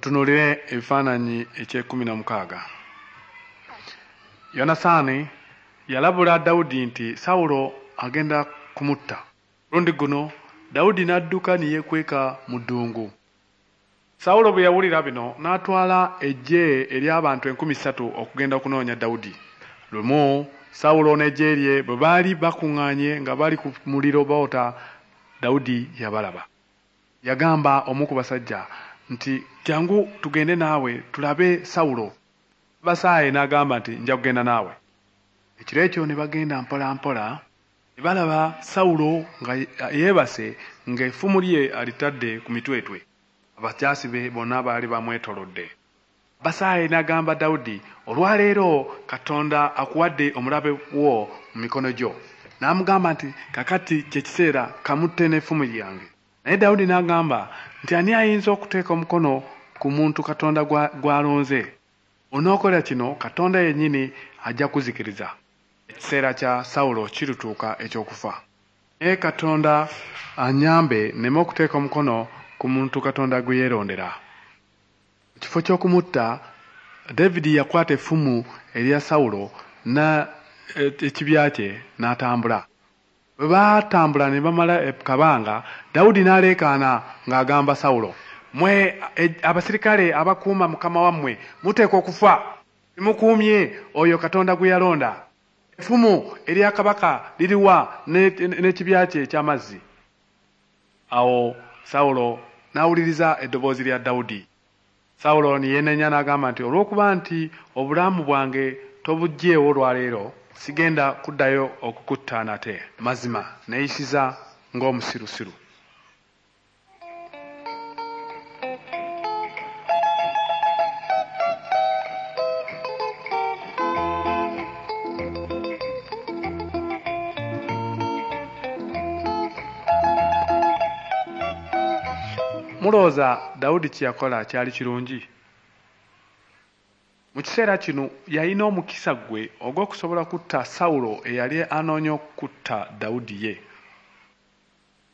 Tutunuulire ebifaananyi eky'ekumi n'omukaaga. Yonasaani yalabula Dawudi nti Sawulo agenda kumutta. Mulundi guno Dawudi n'adduka ne yeekweka mu ddungu. Sawulo bwe yawulira bino n'atwala eggye ery'abantu 3000 okugenda okunoonya Dawudi. Lumu Sawulo n'eggye lye bwe baali bakuŋŋaanye nga bali ku muliro boota, Dawudi yabalaba. Yagamba omu ku basajja nti, Jjangu tugende naawe tulabe Sawulo. Abasaayi n'agamba nti, Nja kugenda naawe. Ekiro ekyo ne bagenda mpola mpola ne balaba Sawulo nga yeebase ng'effumu lye alitadde ku mitwetwe. Abajaasi be bonna baali bamwetoolodde. Abasaayi n'agamba Dawudi, Olwaleero Katonda akuwadde omulabe wo mu mikono gyo. N'amugamba nti, Kaakati kye kiseera kamutte n'effumu lyange. Naye Dawudi n'agamba nti, Ani ayinza okuteeka omukono ku muntu Katonda gw'alonze? Bw'onookola kino Katonda yennyini ajja kukuzikiriza. Ekiseera kya Sawulo kirituuka eky'okufa. Naye Katonda annyambe nneme okuteeka omukono ku muntu Katonda gwe yeerondera. Mu kifo ky'okumutta, David yakwata effumu erya Sawulo n'ekibya kye n'atambula. Bwe baatambula ne bamala kabanga, Dawudi n'aleekaana ng'agamba Sawulo, Mmwe abasirikale abakuuma mukama wammwe muteekwa okufa. Temukuumye oyo Katonda gwe yalonda. Effumu erya kabaka liriwa n'ekibya kye eky'amazzi? Awo Sawulo n'awuliriza eddoboozi lya Dawudi. Sawulo ne yeenenya n'agamba nti, Olw'okuba nti obulamu bwange tobuggyeewo olwaleero, sigenda kuddayo okukutta nate. Mazima neeyisizza ng'omusirusiru. Mulowooza Dawudi kye yakola kyali kirungi? Mu kiseera kino yalina omukisa gwe ogw'okusobola kutta Sawulo eyali anoonya okutta Dawudi ye.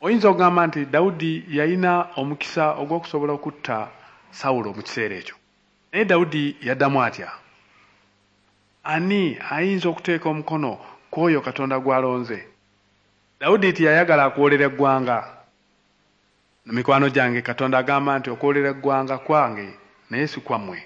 Oyinza okugamba nti Dawudi yalina omukisa ogw'okusobola okutta Sawulo mu kiseera ekyo. Naye Dawudi yaddamu atya? Ani ayinza okuteeka omukono ku oyo Katonda gw'alonze? Dawudi teyayagala kuwoolera eggwanga. Mikwano gyange, Katonda agamba nti okuwoolera eggwanga kwange naye si kwammwe.